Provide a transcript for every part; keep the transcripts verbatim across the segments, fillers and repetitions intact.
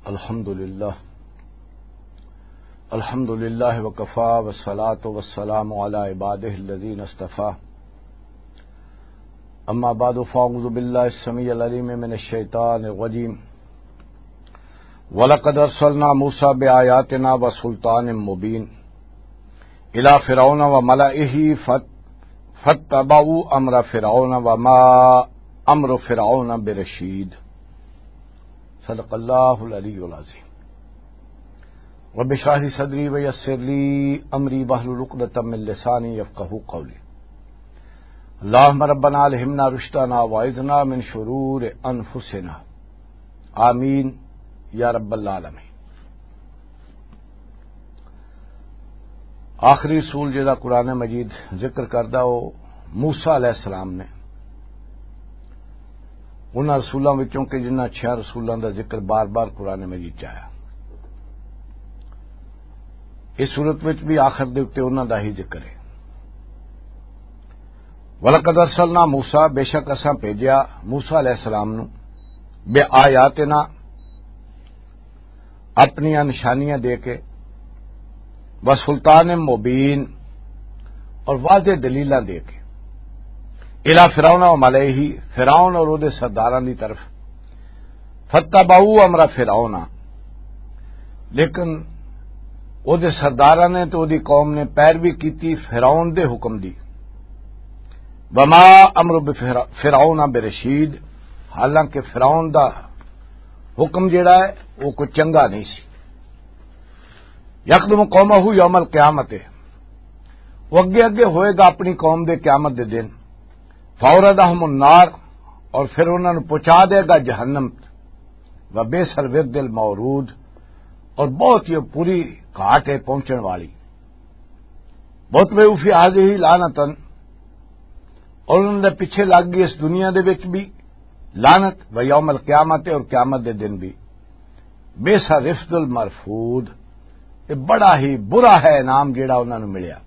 الحمد لله. الحمد لله وكفى، والصلاة والسلام على عباده الذين اصطفى. أما بعد، فأعوذ بالله السميع العليم من الشيطان الرجيم. ولقد أرسلنا موسى بآياتنا وسلطان مبين إلى فرعون وملئه فات-، فاتبعوا أمر فرعون وما أمر فرعون برشيد. صدق اللہ العلی العظیم. رب اشرح لي صدري ويسر لي أمري واحلل عقدة من لساني يفقهوا قولي. اللهم ربنا ألهمنا رشدنا وأعذنا من شرور أنفسنا. آمين يا رب العالمين. آخری رسول جڑا قرآن مجید ذکر کردا، وہ موسیٰ علیہ السلام نے، انہاں رسولاں وچوں کہ جنہاں چھیاں رسولاں دا ذکر بار بار قرآن مجید چ آیا۔ اس صورت وچ بھی آخر دے اُتے انہاں دا ہی ذکر ہے۔ وَلَقَدْ أَرْسَلْنَا مُوسَىٰ، بے شک اساں بھیجیا موسیٰ علیہ السلام نو، بِآيَاتِنَا، اپنیاں نشانیاں دے کے، وَسُلْطَانٍ مُّبِينٍ، اور واضح دلیلاں دے کے، إِلَىٰ فِرْعَوْنَ وَمَلَئِهِ، فرعون اور اودے سرداراں دی طرف، فَاتَّبَعُوا أَمْرَ فِرْعَوْنَ، لیکن اودے سرداراں نے تے اودی قوم نے پیروی کیتی فرعون دے حکم دی۔ وَمَا أَمْرُ بِفِرْعَوْنَ بِرَشِيدٍ، حالانکہ فرعون دا حکم جڑا ہے، وہ کوئی چنگا نہیں سی۔ يَقْدُمُ قَوْمَهُ يَوْمَ الْقِيَامَةِ، وہ اگے اگے ہوئے گا اپنی قوم دے قیامت دے دن۔ فَأَوْرَدَهُمُ النَّارَ، اور پھر انہاں نوں پہنچا دے گا جہنم۔ وَبِئْسَ الْوِرْدُ الْمَوْرُودُ، اور بہت ہی بری گھاٹ ہے پہنچن والی۔ وَأُتْبِعُوا فِي هَٰذِهِ لَعْنَةً، اور انہاں دے پیچھے لگ گئی اس دنیا دے وچ بھی لعنت، وَيَوْمَ الْقِيَامَةِ، اور قیامت دے دن بھی۔ بِئْسَ الرِّفْدُ الْمَرْفُودُ، یہ بڑا ہی برا ہے انعام جڑا انہاں نوں ملیا۔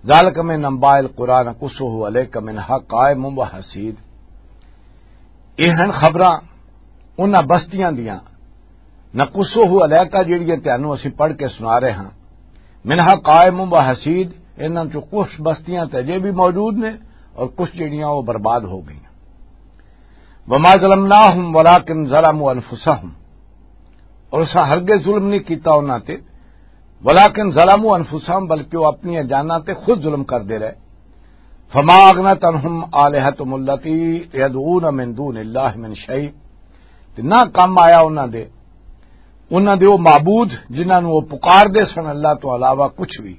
ذَٰلِكَ مِنْ أَنْبَاءِ الْقُرَىٰ نَقُصُّهُ عَلَيْكَ مِنْهَا قَائِمٌ وَحَصِيدٌ۔ یہ ہن خبراں انہاں بستیاں دیاں، نقصہ علیک، جڑیاں تانوں اسی پڑھ کے سنا رہے ہاں۔ منہا قائم و حصید، انہاں چوں کچھ بستیاں تے اجے بھی موجود نے اور کچھ جڑیاں وہ برباد ہو گئیاں۔ وما ظلمناہم ولکن ظلموا انفسہم، اور اساں ہرگز ظلم نہیں کیتا انہاں تے، ولکن ظلموا انفسہم، بلکہ وہ اپنی جاناں تے خود ظلم کردے رہے۔ فما اغنت عنہم آلہتہم التی یدعون من دون اللہ من شیء، تے نہ کم آیا انہاں دے، انہاں دے او معبود جنہاں نوں او پکار دے سن اللہ تو علاوہ کچھ بھی۔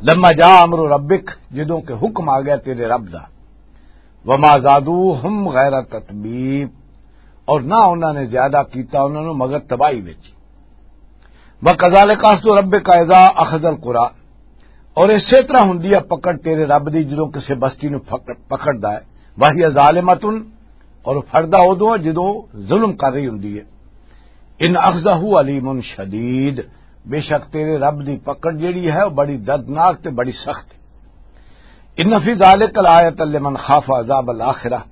لما جاء امر ربک، جدوں کہ حکم آ گیا تیرے رب دا۔ وما زادوہم غیر تتبیب، اور نہ انہاں نے زیادہ کیتا انہاں نوں مگر تباہی وچ۔ وَكَذَٰلِكَ أَخْذُ رَبِّكَ إِذَا أَخَذَ الْقُرَىٰ، اور اسی طرح ہوندی ہے پکڑ تیرے رب دی جدوں کسے بستی نوں پکڑ، پکڑدا ہے۔ وَهِيَ ظَالِمَةٌ، اور پھڑدا اودوں ہے جدوں ظلم کر رہی ہوندی ہے۔ إِنَّ أَخْذَهُ أَلِيمٌ شَدِيدٌ، بے شک تیرے رب دی پکڑ جیڑی ہے وہ بڑی دردناک تے بڑی سخت ہے۔ إِنَّ فِي ذَٰلِكَ لَآيَةً لِّمَنْ خَافَ عَذَابَ الْآخِرَةِ،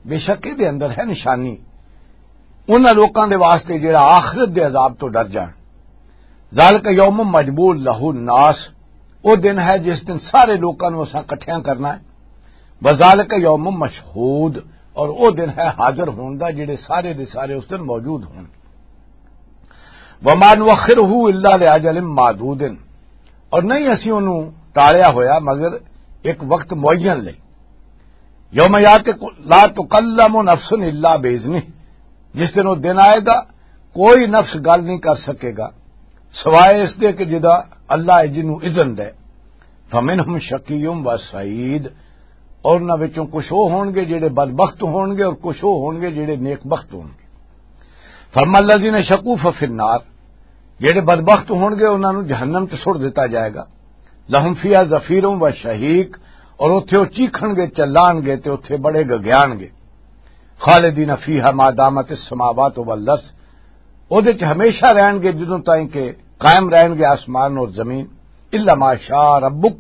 بے شک اے دے اندر ہے نشانی انہاں لوکاں دے واسطے جڑا آخرت دے عذاب تو ڈر جان۔ ذالک یوم مجموع لہ الناس، او دن ہے جس دن سارے لوکاں نوں اساں اکٹھیاں کرنا ہے۔ وذالک یوم مشہود، اور او دن ہے حاضر ہون دا، جڑے سارے دے سارے اس دن موجود ہون۔ وما نؤخرہ الا لاجل معدود، اور نہیں اسی انہوں ٹالیا ہویا مگر ایک وقت معین لئی۔ یوم یات لا تکلم نفس الا باذنہ، جس دن وہ دن آئے گا کوئی نفس گل نہیں کر سکے گا سوائے اس دے کہ جدا اللہ جنوں اذن دے۔ فمنہم شقی و سعید، اور انہاں وچوں کچھ وہ ہون گے جڑے بدبخت ہون گے اور کچھ وہ ہون گے جڑے نیک بخت ہون گے۔ فاما الذین شقوا ففی النار، جڑے بدبخت ہون گے انہاں نوں جہنم تے سٹ دتا جائے گا۔ لہم فیہا زفیر و شہیق، اور اوتھے او چیکھن گے، چلان گے تے اوتھے بڑے گگیان گے۔ خالدین فیہا ما دامت السماوات والارض، اودے چ ہمیشہ رہن گے جدوں تائیں کہ قائم رہن گے آسمان اور زمین۔ الا ما شاء ربک،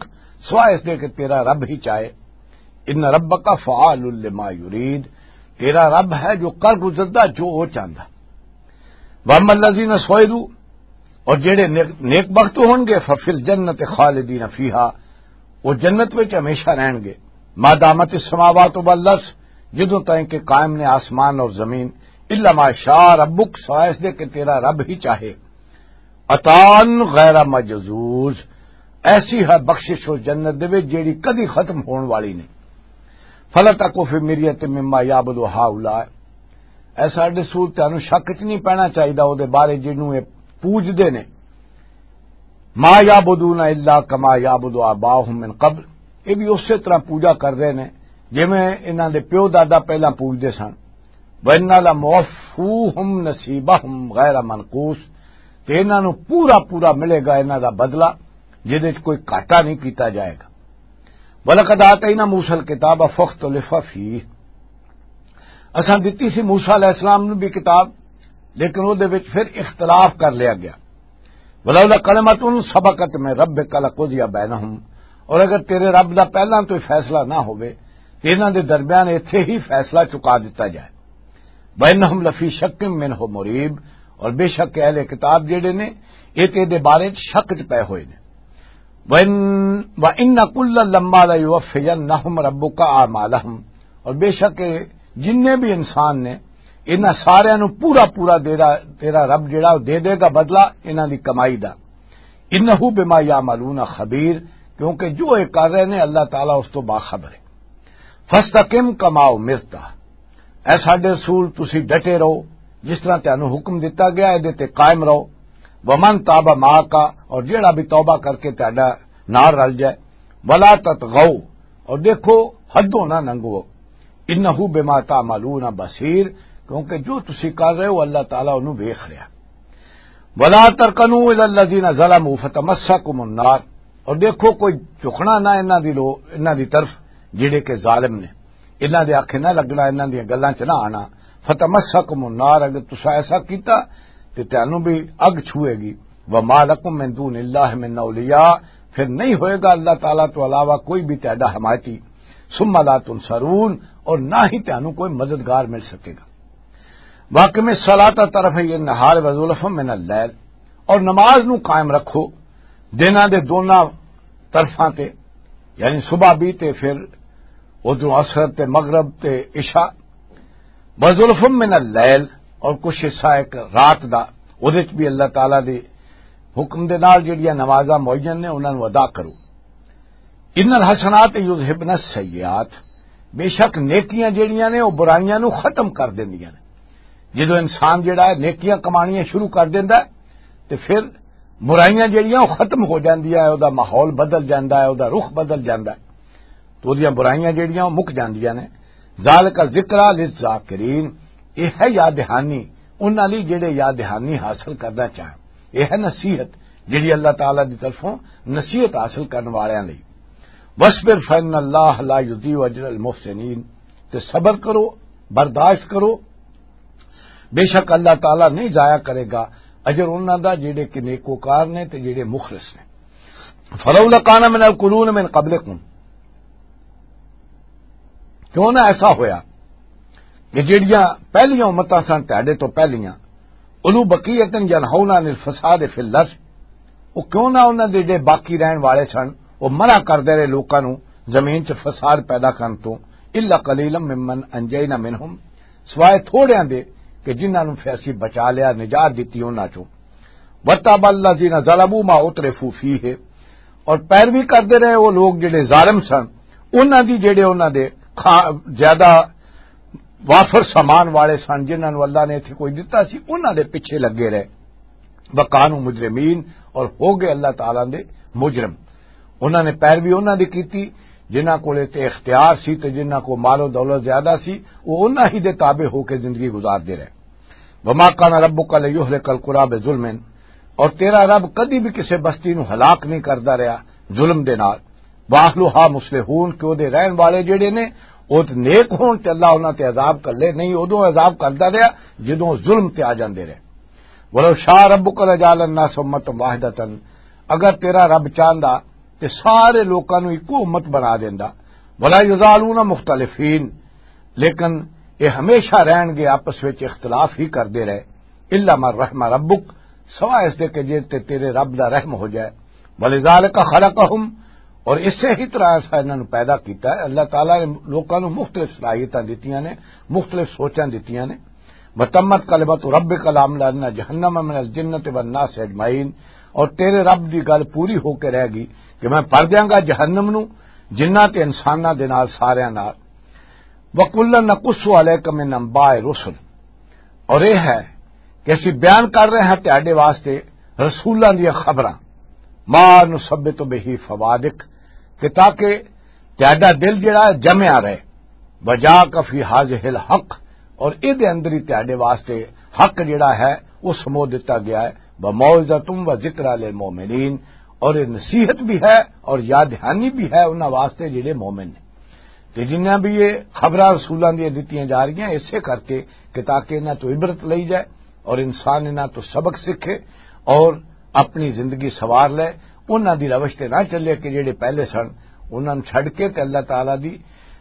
سوائے اس دے کہ تیرا رب ہی چاہے۔ ان ربک فعال لما یرید، تیرا رب ہے جو کر گزردا جو وہ چاہندا۔ واما الذین سعدوا، اور جڑے نیک، نیک بخت ہون گے، ففی الجنت خالدین فیہا، وہ جنت وچ ہمیشہ رہن گے۔ ما دامت السماوات والارض، جدوں تائیں کہ قائم نے آسمان اور زمین، الا ما شاء ربک، سوائے اس دے کہ تیرا رب ہی چاہے۔ عطان غیر مجذوذ، ایسی ہے بخشش اس جنت دے وچ جیڑی کدی ختم ہون والی نہیں۔ فلا تکو فی مریۃ مما یعبد ہؤلاء، اے ساڈے رسول، تانوں شک چ نہیں پینا چاہیدا او دے بارے جنوں اے پوجدے نے۔ ما یعبدون الا کما یعبد آباؤہم من قبل، اے بھی اسی طرح پوجا کر رہے نے جویں انہاں دے پیو دادا پہلاں پوجدے سن۔ وَإِنَّا لَمُوَفُّوهُمْ نَصِيبَهُمْ غَيْرَ مَنْقُوصٍ، تے انہاں نوں پورا پورا ملے گا انہاں دا بدلہ، جدے وچ کوئی گھاٹا نہیں کیتا جائے گا۔ وَلَقَدْ آتَيْنَا مُوسَى الْكِتَابَ فَاخْتُلِفَ فِيهِ، اساں دتی سی موسیٰ علیہ السلام نوں بھی کتاب، لیکن او دے وچ پھر اختلاف کر لیا گیا۔ ولولا کلمۃ سبقت من ربک لقضی بینہم، اور اگر تیرے رب دا پہلاں تو ہی فیصلہ نہ ہوئے تو انہاں دے درمیان ایتھے ہی فیصلہ چکا دتا جائے۔ وانہم لفی شک منہ مریب، اور بے شک اہل کتاب جڑے نے، اے تے دے بارے چ شک چ پے ہوئے نے۔ وان، وان کلا لما لیوفینہم ربک اعمالہم، اور بے شک جننے بھی انسان نے، انہاں سارے نو پورا پورا تیرا، تیرا رب جڑا، او دے دے گا بدلہ انہاں دی کمائی دا۔ انہ بما یعملون خبیر، کیونکہ جو اے کر رہے نے، اللہ تعالیٰ اس تو باخبر ہے۔ فاستقم کما امرت، اے ساڈے رسول، تسی ڈٹے رہو، جس طرح تانوں حکم دتا گیا، اے دے تے قائم رہو۔ ومن تاب معک، اور جیڑا بھی توبہ کر کے تہاڈا نال رل جائے۔ ولا تطغوا، اور دیکھو، حدوں نہ لنگھو۔ انہ بما تعملون بصیر، کیونکہ جو تسی کر رہے ہو، اللہ تعالیٰ انہوں ویکھ رہا۔ ولا ترکنوا الی الذین ظلموا فتمسکم النار، اور دیکھو، کوئی جھکنا نہ انہاں دی لو-، انہاں دی طرف جڑے کہ ظالم نے، انہاں دے آکھے نہ لگنا، انہاں دیاں گلاں چ نہ آنا۔ فتمسکم النار، اگر تسا ایسا کیتا تے تانوں بھی اگ چھوئے گی۔ وما لکم من دون اللہ من اولیاء، پھر نہیں ہوئے گا اللہ تعالیٰ تو علاوہ کوئی بھی تہاڈا حمایتی۔ ثم لا تنصرون، اور نہ ہی تانوں کوئی مددگار مل سکے گا۔ واقم الصلاۃ طرفی النہار وزلفا من اللیل، اور نماز نو قائم رکھو دناں دے دوناں طرفاں تے، یعنی صبح بھی تے پھر ادھروں عصر تے مغرب تے عشاء۔ وزلفا من اللیل، اور کچھ حصہ ایک رات دا، اودے وچ بھی اللہ تعالیٰ دی حکم دے نال جڑیاں نمازاں معین نے، انہاں نوں ادا کرو۔ ان الحسنات یذہبن السیئات، بے شک نیکیاں جڑیاں نے، او برائیاں نوں ختم کر دیندیاں نے۔ جدوں انسان جڑا ہے، نیکیاں کمانیاں شروع کر دیندا ہے، تے پھر برائیاں جڑیاں، او ختم ہو جاندیاں ہے، او دا ماحول بدل جاندا ہے، او دا رخ بدل جاندا ہے۔ تو اودیاں برائیاں جڑیاں، او مک جاندیاں نے۔ ذالک ذکریٰ للذاکرین، یہ ہے یاد دہانی انہاں لئی جڑے یاد دہانی حاصل کرنا چاہن۔ یہ ہے نصیحت جڑی اللہ تعالیٰ دی طرفوں نصیحت حاصل کرن والیاں لئی۔ وَاصْبِرْ فَإِنَّ اللَّهَ لَا يُضِيعُ أَجْرَ الْمُحْسِنِينَ، تے صبر کرو، برداشت کرو، بے شک اللہ تعالیٰ نہیں ضائع کرے گا اجر انہاں دا جڑے کہ نیکوکار نے تے جڑے مخلص نے۔ فلولا کان من القرون من قبلکم، کیوں نہ ایسا ہویا کہ جڑیاں پہلیاں امتاں سن تہاڈے تو پہلیاں، اولو بقیتن ینہون عن الفساد فی الارض، او کیوں نہ انہاں دے جڑے باقی رہن والے سن، او منع کردے رہے لوکاں نوں زمین چ فساد پیدا کرن تو، الا قلیلا ممن انجینا منہم، سوائے تھوڑیاں دے کہ جنہاں نوں پھر اسی بچا لیا، نجات دتی انہاں چوں۔ وَتَابَ الَّذِينَ ظَلَمُوا مَا أُتْرِفُوا فِيهِ، اور پیروی کردے رہے وہ لوگ جڑے ظالم سن، انہاں دی جڑے انہاں دے کھا-، زیادہ وافر سامان والے سن، جنہاں نوں اللہ نے اتھے کوئی دتا سی، انہاں دے پیچھے لگے رہے۔ وَكَانُوا مُجْرِمِينَ، اور ہو گئے اللہ تعالیٰ دے مجرم۔ انہاں نے پیروی انہاں دی کیتی جنہاں کول تے اختیار سی تے جنہاں کو مال و دولت زیادہ سی، وہ انہاں ہی دے تابع ہو کے زندگی گزاردے رہے۔ وما کان ربک لیہلک القری بظلم، اور تیرا رب کدی بھی کسے بستی نو ہلاک نہیں کردا رہیا ظلم دے نال۔ واہلھا مصلحون، کہ او دے رہن والے جڑے نے او تے نیک ہون تے اللہ انہاں تے عذاب کر لے، نہیں، اودوں عذاب کردا رہیا جدوں ظلم تے آ جاندے رہے۔ ولو شاء ربک لجعل الناس امة واحدة، اگر تیرا رب چاہندا تے سارے لوکاں نوں اکو امت بنا دیندا۔ ولا یزالون مختلفین، لیکن اے ہمیشہ رہن گے آپس وچ اختلاف ہی کردے رہے۔ الا من رحم ربک، سوائے اس دے کہ جے تے تیرے رب دا رحم ہو جائے۔ ولذالک خلقہم، اور اسے ہی طرح اساں انہاں نوں پیدا کیتا ہے۔ اللہ تعالیٰ نے لوکاں نوں مختلف صلاحیتاں دتیاں نے، مختلف سوچاں دتیاں نے۔ وتمت کلمۃ ربک لاملأن جہنم من الجنۃ والناس اجمعین، اور تیرے رب دی گل پوری ہو کے رہ گئی کہ میں بھر دیاں گا جہنم نوں جناں تے انساناں دے نال، ساریاں نال۔ وَكُلًّا نَقُصُّ عَلَيْكَ مِنْ أَنْبَاءِ الرُّسُلِ، اور یہ ہے کہ اسی بیان کر رہے ہیں تہاڈے واسطے رسولاں دیاں خبراں، مَا نُثَبِّتُ بِهِ فُؤَادَكَ، کہ تاکہ تہاڈا دل جڑا ہے جمیا رہے، وَجَاءَكَ فِي هَٰذِهِ الْحَقُّ، اور اے دے اندر ہی تہاڈے واسطے حق جڑا ہے وہ سمو دتا گیا ہے، وَمَوْعِظَةٌ وَذِكْرَىٰ لِلْمُؤْمِنِينَ، اور یہ نصیحت بھی ہے اور یاد دہانی بھی ہے انہاں واسطے جڑے مومن نے۔ تے جنہاں بھی یہ خبراں رسولاں دیاں دتیاں جا رہیاں، اسے کر کے کہ تاکہ انہاں تو عبرت لئی جائے اور انسان انہاں تو سبق سیکھے اور اپنی زندگی سوار لے، انہاں دی روش تے نہ چلے کہ جڑے پہلے سن، انہاں نوں چھڈ کے تے اللہ تعالیٰ دی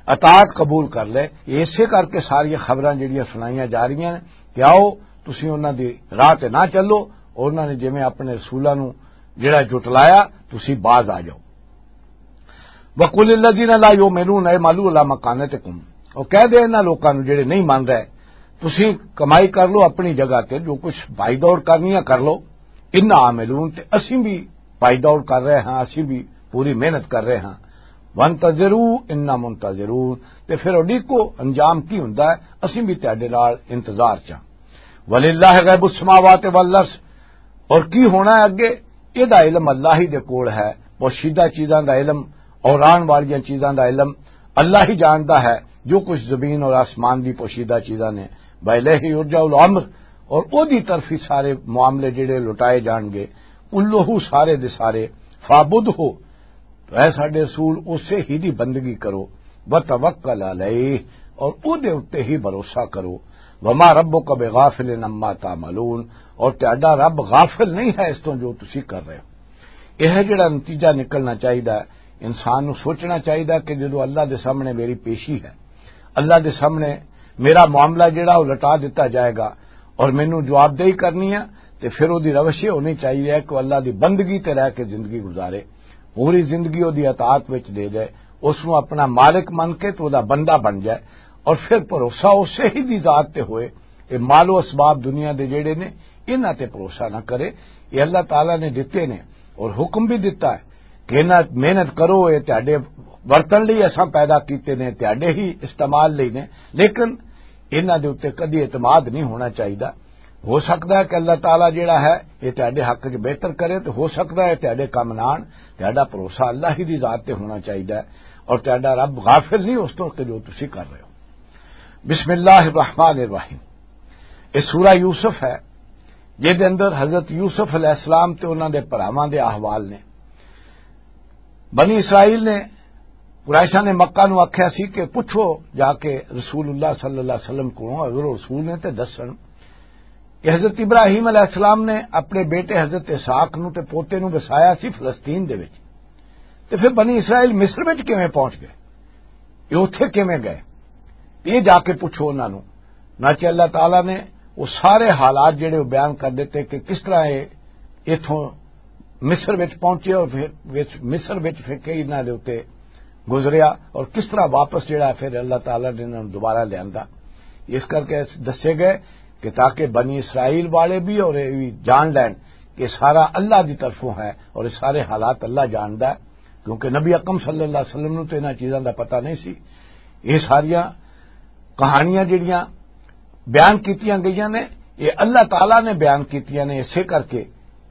اطاعت قبول کر لے۔ یہ اسے کر کے ساریاں خبراں جڑیاں سنائیاں جا رہیاں نے کہ آؤ، تسی انہاں دی راہ تے نہ چلو، اور انہاں نے جویں اپنے رسولاں نوں جڑا جھٹلایا، تسی باز آ جاؤ۔ وَقُلِ الَّذِينَ لَا يُؤْمِنُونَ اعْمَلُوا عَلَىٰ مَكَانَتِكُمْ، اور کہہ دے انہاں لوکاں نوں جڑے نہیں من رہے، تسی کمائی کر لو اپنی جگہ تے، جو کچھ بھائی دوڑ کرنی ہے کر لو، اِنَّا عَامِلُونَ، تے اسی بھی بھائی دوڑ کر رہے ہاں، اسی بھی پوری محنت کر رہے ہاں۔ وَانْتَظِرُوا اِنَّا مُنْتَظِرُونَ، تے پھر اڈیکو انجام کی ہوندا ہے، اسی بھی تہاڈے نال انتظار چاں۔ وَلِلَّهِ غَيْبُ السَّمَاوَاتِ وَالْأَرْضِ، اور کی ہونا ہے اگے، یہ دا علم اللہ ہی دے کول ہے۔ پوشیدہ چیزاں دا علم اور آن والیاں چیزاں دا علم اللہ ہی جاندا ہے، جو کچھ زمین اور آسمان دی پوشیدہ چیزاں نے۔ وَإِلَيْهِ يُرْجَعُ الْأَمْرُ، اور او دی طرف ہی سارے معاملے جڑے لٹائے جان گے۔ كُلُّهُ، سارے دے سارے، فَاعْبُدْهُ، تو اے ساڈے رسول، اسے ہی دی بندگی کرو، وَتَوَكَّلْ عَلَيْهِ، اور او دے اُتے ہی بھروسہ کرو۔ وَمَا رَبُّكَ بِغَافِلٍ عَمَّا تَعْمَلُونَ، اور تہاڈا رب غافل نہیں ہے اس تو جو تسی کر رہے ہو۔ یہ ہے جڑا نتیجہ نکلنا چاہیدا ہے۔ انسان نو سوچنا چاہیدا ہے کہ جدوں اللہ دے سامنے میری پیشی ہے، اللہ دے سامنے میرا معاملہ جڑا وہ لٹا دتا جائے گا اور مینوں جوابدہی کرنی ہے، تے پھر وہ دی روش یہ ہونی چاہیے کہ وہ اللہ دی بندگی تے رہ کے زندگی گزارے، پوری زندگی وہ دی اطاعت وچ دے دے، اس نو اپنا مالک من کے تو وہ دا بندہ بن جائے، اور پھر بھروسہ اسے ہی دی ذات تے ہوئے۔ یہ مال و اسباب دنیا دے جڑے نے، انہاں تے بھروسہ نہ کرے۔ یہ اللہ تعالیٰ نے دتے نے اور حکم بھی دتا ہے کہ انہاں محنت کرو، یہ تہاڈے ورتن لئی اساں پیدا کیتے نے، تہاڈے ہی استعمال لئی نے، لیکن انہاں دے اُتے کدی اعتماد نہیں ہونا چاہیدا۔ ہو سکدا ہے کہ اللہ تعالیٰ جڑا ہے یہ تہاڈے حق وچ بہتر کرے، تے ہو سکدا ہے تہاڈے کم نہ آن۔ تہاڈا بھروسہ اللہ ہی دی ذات تے ہونا چاہیدا ہے، اور تہاڈا رب غافل نہیں اس تو کہ جو تسی کر رہے ہو۔ بسم اللہ الرحمن الرحیم۔ یہ سورہ یوسف ہے، جس دے اندر حضرت یوسف علیہ السلام تے انہاں دے بھراواں دے احوال نے۔ بنی اسرائیل نے، قریشاں نے مکہ نو آکھیا سی کہ پوچھو جا کے رسول اللہ صلی اللہ علیہ وسلم کو، اگر وہ رسول نے تے دسن کہ حضرت ابراہیم علیہ السلام نے اپنے بیٹے حضرت اسحاق نو تے پوتے نو وسایا سی فلسطین دے وچ، تے پھر بنی اسرائیل مصر وچ کیویں پہنچ گئے؟ یہ اوتھے کیویں گئے؟ یہ جا کے پوچھو انہاں نو۔ نہ کہ اللہ تعالیٰ نے وہ سارے حالات جڑے وہ بیان کر دیتے کہ کس طرح یہ اتھوں مصر وچ پہنچے اور پھر وچ، مصر وچ پھر کئی انہاں دے اُتے گزریا اور کس طرح واپس جڑا ہے پھر اللہ تعالیٰ نے انہاں نوں دوبارہ لیاندا۔ اس کر کے دسے گئے کہ تاکہ بنی اسرائیل والے بھی اور یہ بھی جان لین کہ سارا اللہ دی طرفوں ہے اور یہ سارے حالات اللہ جاندا ہے، کیونکہ نبی اکرم صلی اللہ علیہ وسلم نوں تے انہاں چیزاں دا پتہ نہیں سی۔ یہ ساریاں کہانیاں جڑیاں بیان کیتیاں گئیاں نے، یہ اللہ تعالیٰ نے بیان کیتیاں نے اسے کر کے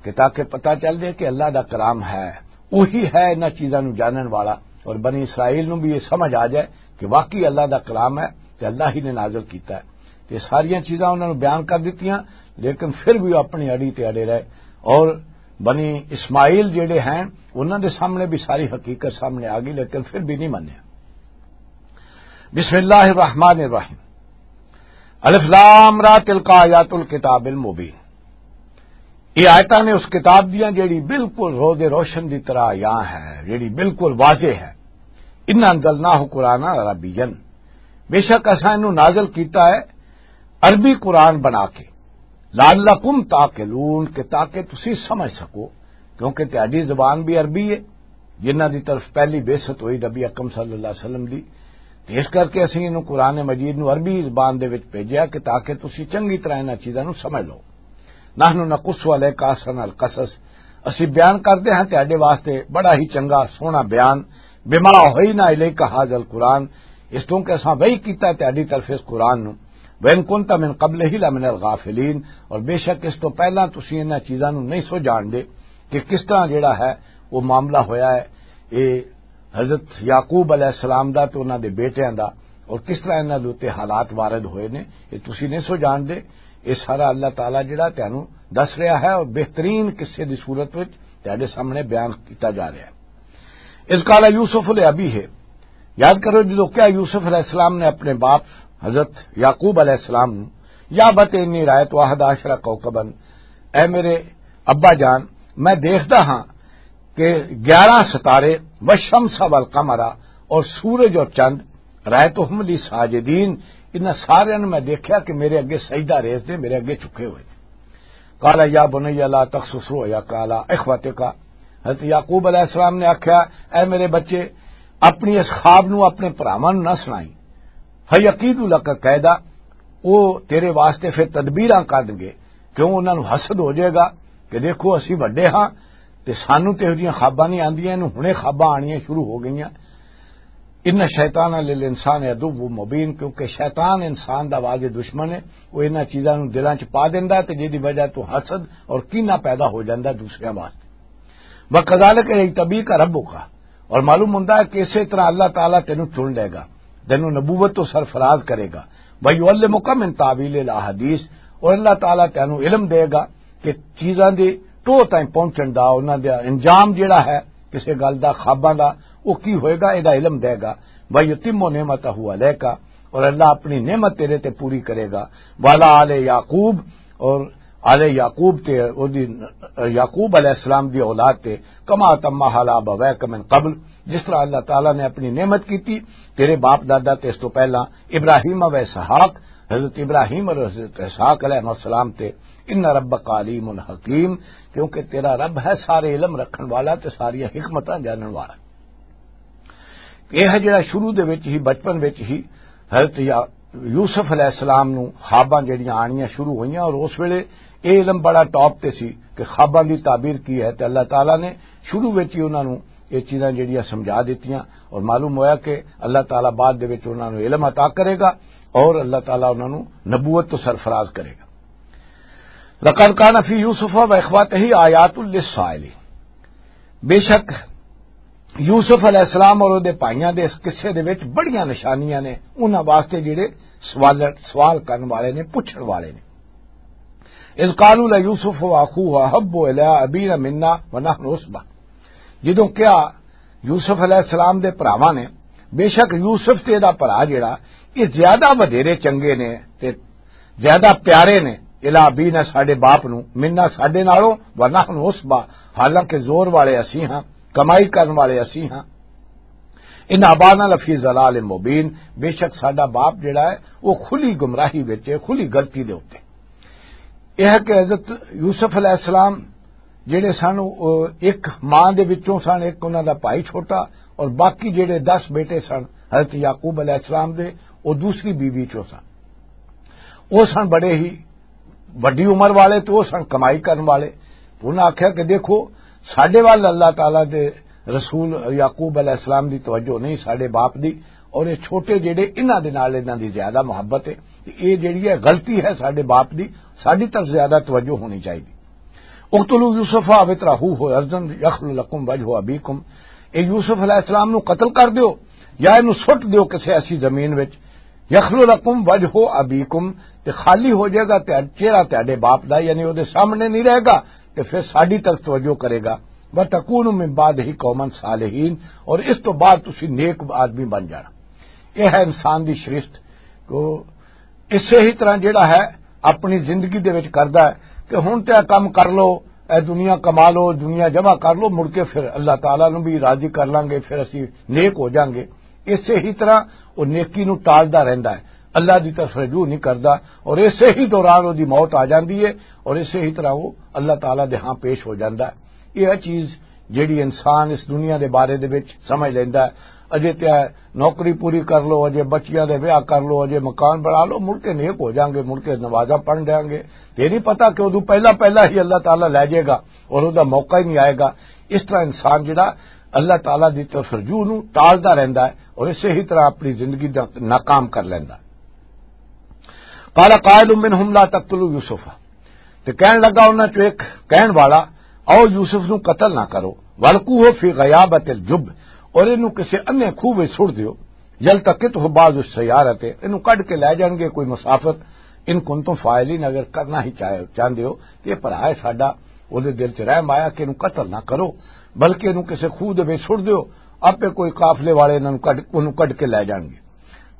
کہ تاکہ پتہ چل جائے کہ اللہ دا کلام ہے، وہی ہے انہاں چیزاں نوں جانن والا، اور بنی اسرائیل نوں بھی یہ سمجھ آ جائے کہ واقعی اللہ دا کلام ہے تے اللہ ہی نے نازل کیتا ہے۔ تے ساریاں چیزاں انہاں نوں بیان کر دتیاں، لیکن پھر بھی وہ اپنی اڑی تے اڑے رہے، اور بنی اسماعیل جڑے ہیں انہاں دے سامنے بھی ساری حقیقت سامنے آ گئی، لیکن پھر بھی نہیں منیا۔ بسم اللہ الرحمن الرحیم۔ الف لام را، تلک آیات الکتاب المبین۔ یہ آیتاں نے اس کتاب دیاں جیڑی بالکل روز روشن دی طرح آیا ہے، جیڑی بالکل واضح ہے۔ انا انزلناہ قرآنا عربیا، بے شک اساں انہوں نازل کیتا ہے عربی قرآن بنا کے۔ لعلکم تعقلون، کہ تاکہ تسی سمجھ سکو، کیونکہ تہاڈی زبان بھی عربی ہے، جنہاں دی طرف پہلی بعثت ہوئی نبی اکرم صلی اللہ علیہ وسلم دی۔ تے اس کر کے اسی انہوں قرآن مجید نو عربی زبان دے وچ بھیجیا کہ تاکہ تسی چنگی طرح انہاں چیزاں نو سمجھ لو۔ نحن نقص علیک احسن القصص، اسی بیان کردے ہاں تہاڈے واسطے بڑا ہی چنگا سوہنا بیان، بما اوحینا الیک ھذا القرآن، اس تو کہ اساں وحی کیتا تہاڈی طرف اس قرآن نو، وَإِن كُنْتَ مِنْ قَبْلِهِ لَمِنَ الْغَافِلِينَ، اور بے شک اس تو پہلاں تسی انہاں چیزاں نوں نہیں سو جان دے کہ کس طرح جڑا ہے وہ معاملہ ہویا ہے، اے حضرت یعقوب علیہ السلام دا تے انہاں دے بیٹیاں دا، اور کس طرح انہاں دے اُتے حالات وارد ہوئے نے، اے تسی نہیں سو جان دے۔ اے سارا اللہ تعالیٰ جڑا تانوں دس رہا ہے اور بہترین قصے دی صورت وچ تہاڈے سامنے بیان کیتا جا رہا ہے۔ اذ قال یوسف لابیہ، یاد کرو جدو کیا یوسف علیہ السلام نے اپنے باپ حضرت یعقوب علیہ السلام نو، یا بت انی رایت احد عشر کوکبا، اے میرے ابا جان، میں دیکھدا ہاں کہ گیارہ ستارے، والشمس والقمر، اور سورج اور چند، رایتہم لی ساجدین، انہاں سارے نو میں دیکھیا کہ میرے اگے سجدہ ریز دے، میرے اگے جھکے ہوئے۔ قال یا بنی لا تقصص رؤیاک علی اخوتک، حضرت یعقوب علیہ السلام نے آکھیا، اے میرے بچے، اپنی اس خواب نو اپنے بھراواں نو نہ سنائی، فیکیدوا لک کیدا، او تیرے واسطے پھر تدبیراں کڈن گے، کیوں انہاں نو حسد ہو جائے گا کہ دیکھو اسی وڈے ہاں تے سانو تے اودیاں خواباں نہیں آندیاں، انہوں ہنے خواباں آنیاں شروع ہو گئیاں۔ ان الشیطان للانسان عدو مبین، کیونکہ شیطان انسان دا واضح دشمن ہے، وہ انہاں چیزاں نوں دلاں چ پا دیندا ہے تے جدی وجہ تو حسد اور کینہ پیدا ہو جاندا ہے دوسریاں واسطے۔ وَكَذَلِكَ يَجْتَبِيكَ رَبُّكَ، اور معلوم ہوندا ہے کہ اسی طرح اللہ تعالیٰ تینوں چن لے گا، تینوں نبوت تو سرفراز کرے گا۔ وَيُعَلِّمُكَ مِن تَأْوِيلِ الْأَحَادِيثِ، اور اللہ تعالیٰ تینوں علم دے گا کہ چیزاں دے ٹو تائیں پہنچن دا، انہاں دا انجام جڑا ہے کسے گل دا، خواباں دا، او کی ہوئے گا، اے دا علم دے گا۔ وَيُتِمُّ نِعْمَتَهُ عَلَيْكَ، اور اللہ اپنی نعمت تیرے تے پوری کرے گا۔ وَعَلَىٰ آلِ يَعْقُوبَ، اور آل یعقوب تے، او دی، یعقوب علیہ السلام دی اولاد تے، كَمَا أَتَمَّهَا عَلَىٰ أَبَوَيْكَ مِن قَبْلُ، جس طرح اللہ تعالیٰ نے اپنی نعمت کیتی تیرے باپ دادا تے اس تو پہلا، ابراہیم و اسحاق، حضرت ابراہیم اور حضرت اسحاق علیہ السلام تے، ان ربک علیم حکیم، کیونکہ تیرا رب ہے سارے علم رکھن والا تے ساری حکمتاں جانن والا۔ یہ ہے جڑا شروع دے وچ ہی، بچپن وچ ہی حضرت یا-، یوسف علیہ السلام نو خواباں جڑیاں آنیاں شروع ہوئیاں، اور اس ویلے یہ علم بڑا ٹاپ تے سی کہ خواباں دی تعبیر کی ہے، تے اللہ تعالیٰ نے شروع وچ ہی انہاں نو یہ چیزاں جڑیاں سمجھا دتیاں، اور معلوم ہویا کہ اللہ تعالیٰ بعد دے وچ انہاں نو علم عطا کرے گا، اور اللہ تعالیٰ انہاں نو نبوت تو سرفراز کرے گا۔ لقد کان فی یوسف و اخوتہ آیات للسائلین، بے شک یوسف علیہ السلام اور اودے بھائیاں دے اس قصے دے وچ بڑیاں نشانیاں نے انہاں واسطے جڑے سوال، سوال کرن والے نے، پوچھن والے نے۔ اذ قالوا لیوسف واخوہ احب الی ابینا منا ونحن عصبہ، جدوں کیا یوسف علیہ السلام دے بھراواں نے، بے شک یوسف تے دا بھرا جڑا، یہ زیادہ ودھیرے چنگے نے تے زیادہ پیارے نے، الا ابینا، ساڈے باپ نو، منا، ساڈے نالوں، ونحن عصبہ، حالانکہ زور والے اسی ہاں، کمائی کرن والے اسی ہاں۔ ان ابانا لفی ضلال مبین، بے شک ساڈا باپ جڑا ہے وہ کھلی گمراہی وچ ہے، کھلی غلطی دے اوتے۔ یہ ہے کہ حضرت یوسف علیہ السلام جڑے سن، او ایک ماں دے وچوں سن، ایک انہاں دا بھائی چھوٹا، اور باقی جڑے دس بیٹے سن حضرت یعقوب علیہ السلام دے، او دوسری بیوی چوں سن۔ او سن بڑے ہی وڈی عمر والے، تے او سن کمائی کرن والے۔ انہاں آکھیا کہ دیکھو، ساڈے وال اللہ تعالیٰ دے رسول یعقوب علیہ السلام دی توجہ نہیں، ساڈے باپ دی، اور یہ چھوٹے جڑے، انہاں دے نال انہاں دی زیادہ محبت ہے۔ تے یہ جڑی ہے غلطی ہے ساڈے باپ دی، ساڈی طرف زیادہ توجہ ہونی چاہیے۔ اقتلوا یوسف او اطرحوہ ارضا یخل لکم وجہ ابیکم، اے یوسف علیہ السلام نو قتل کر دیو یا اینو سٹ دیو کسے ایسی زمین وچ، یخل لکم وجہ ابیکم، تے خالی ہو جائے گا تے چہرہ تہاڈے باپ دا، یعنی او دے سامنے نہیں رہے گا، تے پھر ساڈی طرف توجہ کرے گا۔ وتکونوا من بعدہ قوما صالحین، اور اس تو بعد تسی نیک آدمی بن جانا۔ یہ ہے انسان دی شریفت۔ تو اسے ہی طرح جڑا ہے اپنی زندگی دے وچ کردا ہے کہ ہن تے اے کم کر لو، اے دنیا کما لو، دنیا جمع کر لو، مڑ کے پھر اللہ تعالیٰ نو بھی راضی کر لانگے، پھر اسی نیک ہو جانگے۔ اسے ہی طرح وہ نیکی نو ٹالدا رہندا ہے۔ اللہ دی طرف رجوع نہیں کردا، اور اسے ہی دوران وہ دی موت آ جاندی ہے، اور اسے ہی طرح وہ اللہ تعالیٰ دے ہاں پیش ہو جاندا ہے۔ یہ چیز جیڑی انسان اس دنیا دے بارے دے وچ سمجھ لیندا ہے، اجے تے نوکری پوری کر لو، اجے بچیاں دے ویاہ کر لو، اجے مکان بنا لو، مڑ کے نیک ہو جاؤں گے، مڑ کے نمازاں پڑھ جاؤں گے۔ تے نہیں پتا کہ ادو پہلا پہلا ہی اللہ تعالیٰ لے جائے گا اور ادا موقع ہی نہیں آئے گا۔ اس طرح انسان جڑا اللہ تعالیٰ دی طرف رجوع نو ٹالدا رہندا ہے اور اسے ہی طرح اپنی زندگی دا ناکام کر لیندا ہے۔ قال قائل منهم لا تقتلوا یوسف، تے کہن لگا انہاں چوں ایک کہن والا، "آؤ یوسف نو قتل نہ کرو، والقوه فی غیابۃ الجب، اور اینو کسے انے کھوہ وچ سٹ دیو، یلتقطه بعض السیارۃ، اینو کڈ کے لے جان گے کوئی مسافر، ان کنتم فاعلین، اگر کرنا ہی چاہے، چاہندے ہو، تے یہ بھرا ہے ساڈا۔" اودے دل چ رحم آیا کہ اینو قتل نہ کرو، بلکہ اینو کسے کھوہ دے وچ سٹ دیو، آپے کوئی قافلے والے انہاں نو کڈ، اونوں کڈ کے لے جان گے۔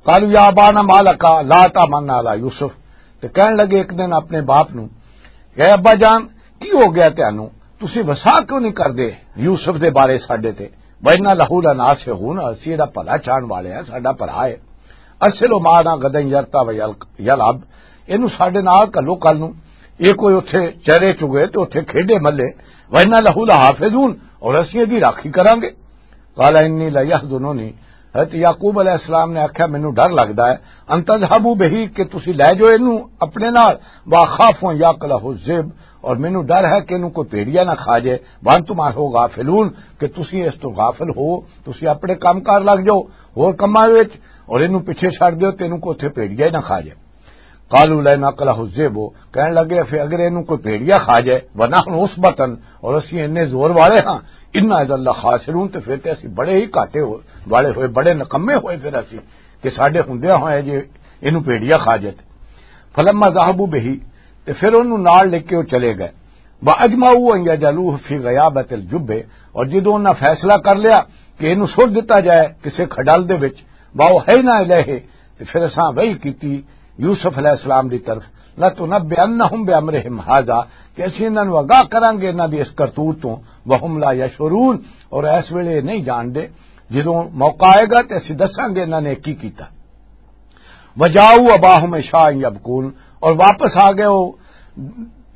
قالوا یا ابانا ما لک لا تامنا علی یوسف، تے کہن لگے ایک دن اپنے باپ نو، "اے ابا جان، کی ہو گیا تانوں؟ تسی وسا کیوں نہیں کردے یوسف دے بارے ساڈے تے؟ وَإِنَّا لَهُ لَنَاصِحُونَ، اسی دا بھلا چاہن والے ہیں، ساڈا بھرا ہے۔ ارسلہ معنا غداً یرتع ویلعب، اینو ساڈے نال گھلو کل نو، یہ کوئی اتھے چرے چگے تے اتھے کھیڈے ملے، وَإِنَّا لَهُ لَحَافِظُونَ، اور اسی دی راکھی کراں گے۔" قال انی لیحزننی، حضرت یعقوب علیہ السلام نے آکھیا، "مینوں ڈر لگدا ہے، ان تذهبوا به، کہ تسی لے جاؤ اینوں اپنے نال، واخاف ان یاکلہ الذئب، اور مینوں ڈر ہے کہ اینوں کوئی بھیڑیا نہ کھا جائے، وانتم عنہ غافلون، کہ تسی اس تو غافل ہو، تسی اپنے کام کار لگ جاؤ، ہور کماں وچ، اور اینوں پیچھے چھڈ دیو تے اینوں کوئی اتھے بھیڑیا ہی نہ کھا جائے۔" قالوا لئن اکلہ الذئب، کہن لگے، "پھر اگر اینوں کوئی بھیڑیا کھا جائے، ونحن عصبۃ، اور اسی اتنے زور والے ہاں، انا اذا لخاسرون، تے پھر تے اسی بڑے ہی گھاٹے ہو-، والے ہوئے، بڑے نکمے ہوئے پھر اسی، کہ ساڈے ہوندیاں ہوئے جے اینوں بھیڑیا کھا جائے۔" فلما ذهبوا به، تے پھر اونوں نال لے کے وہ چلے گئے۔ واجمعوا ان یجعلوه فی غیابۃ الجب، اور جدوں انہاں فیصلہ کر لیا کہ اینوں سٹ دتا جائے کسے کھڈل دے وچ، واوحینا الیہ، تے پھر اساں وحی کیتی یوسف علیہ السلام دی طرف، "لَتُنَبِّئَنَّهُمْ بِأَمْرِهِمْ هَذَا"، کہ اسی انہاں نوں آگاہ کراں گے انہاں دی اس کرتوت تو، "وَهُمْ لَا يَشْعُرُونَ"، اور اس ویلے یہ نہیں جان دے، جدوں موقع آئے گا تے اسی دساں گے انہاں نے کی کیتا۔ وَجَاءُوا أَبَاهُمْ عِشَاءً يَبْكُونَ، اور واپس آ گئے وہ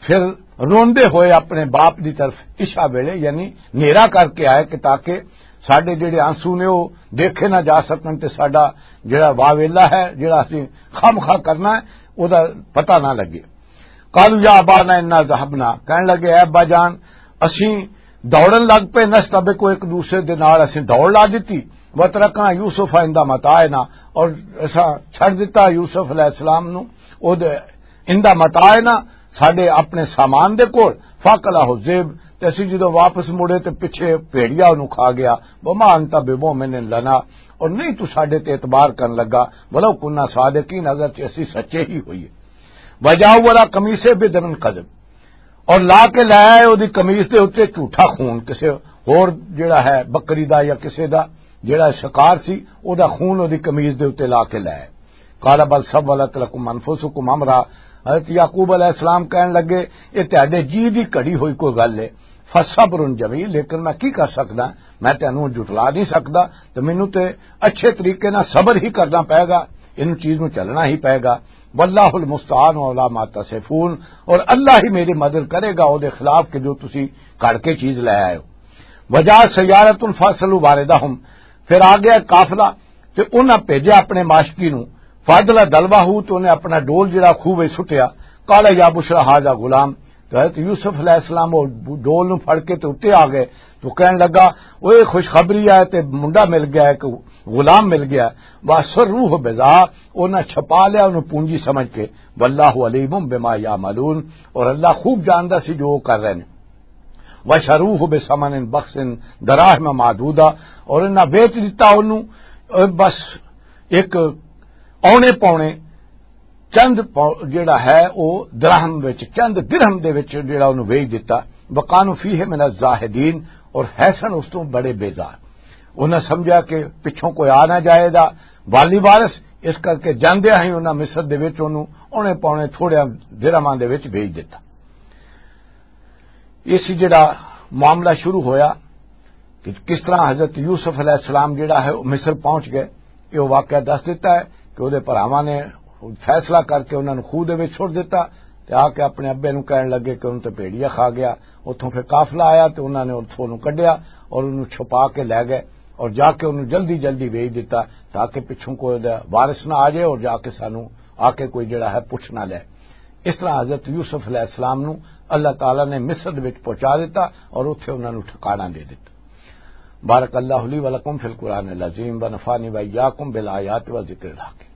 پھر روندے ہوئے اپنے باپ دی طرف عشاء ویلے، یعنی نیرا کر کے آئے کہ تاکہ ساڈے جڑے آنسو نے وہ دیکھے نہ جا سکن تے ساڈا جڑا واویلا ہے، جڑا اسی خامخواہ کرنا ہے، او دا پتہ نہ لگے۔ قالوا یا ابانا انا ذهبنا، کہن لگے، "اے ابا جان، اسی دوڑن لگ پے، نستبق، ایک دوسرے دے نال اسی دوڑ لا دتی، وترکنا یوسف عند متاعنا، اور اساں چھڈ دتا یوسف علیہ السلام نو او دے عند متاعنا، ساڈے اپنے سامان دے کول، فاکلہ الذئب، تے اسی جدوں واپس مڑے تے پیچھے بھیڑیا اونوں کھا گیا، وما انت بمؤمن لنا، اور نہیں تو ساڈے تے اعتبار کرن لگا، ولو کنا صادقین، اگرچہ اسی سچے ہی ہوئیے۔" وجاءوا علی قمیصہ بدم کذب، اور لا کے لے آئے اودی قمیص دے اُتے جھوٹا خون، کسے ہور جڑا ہے بکری دا یا کسے دا جڑا شکار سی، او دا خون اودی قمیص دے اُتے لا کے لے آئے۔ قال بل سولت لکم انفسکم امرا، حضرت یعقوب علیہ السلام کہن لگے، "یہ تہاڈے جی دی گھڑی ہوئی کوئی گل ہے، فصبر جمیل، لیکن میں کی کر سکدا، میں تینوں جھٹلا نہیں سکدا، تے مینوں تے اچھے طریقے نال صبر ہی کرنا پئے گا، ان چیز نوں چلنا ہی پئے گا۔ واللہ المستعان علی ما تصفون، اور اللہ ہی میری مدد کرے گا او دے خلاف کہ جو تسی کڑ کے چیز لے آئے ہو۔" وجاء سیارۃ فارسلوا واردہم، پھر آ گیا قافلہ تے انہاں بھیجیا اپنے ماشکی نوں، فاضل دلوہ، تے انہیں اپنا ڈول جڑا خوہ وچ سٹیا۔ قال یا بشرا ھذا غلام، تو حضرت یوسف علیہ السلام وہ ڈول نوں پھڑ کے تے اُتے آ گئے، تو کہن لگا، "اوہ خوشخبری ہے تے منڈا مل گیا، ایک غلام مل گیا۔" وَأَسَرُّوهُ بِضَاعَةً، انہاں چھپا لیا انہوں پونجی سمجھ کے۔ وَاللَّهُ عَلِيمٌ بِمَا يَعْمَلُونَ، اور اللہ خوب جاندا سی جو وہ کر رہے ہیں۔ وَشَرُوهُ بِثَمَنٍ بَخْسٍ دَرَاهِمَ مَعْدُودَةٍ، اور انہاں بیچ دیتا انہوں، اے، بس ایک اونے پونے چند پو-، جڑا ہے او دراہم وچ، چند درہم دے وچ جڑا انہوں ویچ دتا۔ وَكَانُوا فِيهِ مِنَ الزَّاهِدِينَ، اور حسن اس تو بڑے بیزار۔ انہاں سمجھا کہ پچھوں کوئی آ نہ جائے دا والی وارث، اس کر کے جاندے ہی انہاں مصر دے وچ انہوں اونے پونے تھوڑے درہماں دے وچ ویچ دتا۔ یہ سی جڑا معاملہ شروع ہویا کہ کس طرح حضرت یوسف علیہ السلام جڑا ہے، وہ مصر پہنچ گئے۔ یہ واقعہ دس دیتا ہے کہ وہ بھراواں نے فیصلہ کر کے انہاں نوں خوہ دے وچ چھوڑ دتا، تے آ کے اپنے ابے نوں کہن لگے کہ انہوں تے بھیڑیا کھا گیا۔ اتھوں پھر قافلہ آیا تے انہاں نے اتھوں نوں کڈیا اور انہوں چھپا کے لے گئے، اور جا کے انہوں جلدی جلدی ویچ دتا، تاکہ پچھوں کوئی دا وارث نہ آ جائے اور جا کے سانوں آ کے کوئی جڑا ہے پوچھ نہ لے۔ اس طرح حضرت یوسف علیہ السلام نوں اللہ تعالیٰ نے مصر وچ پہنچا دتا اور اتھے انہاں نوں ٹھکانہ دے دتا۔ بارک اللہ لی و لکم فی القرآن العظیم و نفعنی و ایاکم بالآیات و ذکر الحکیم۔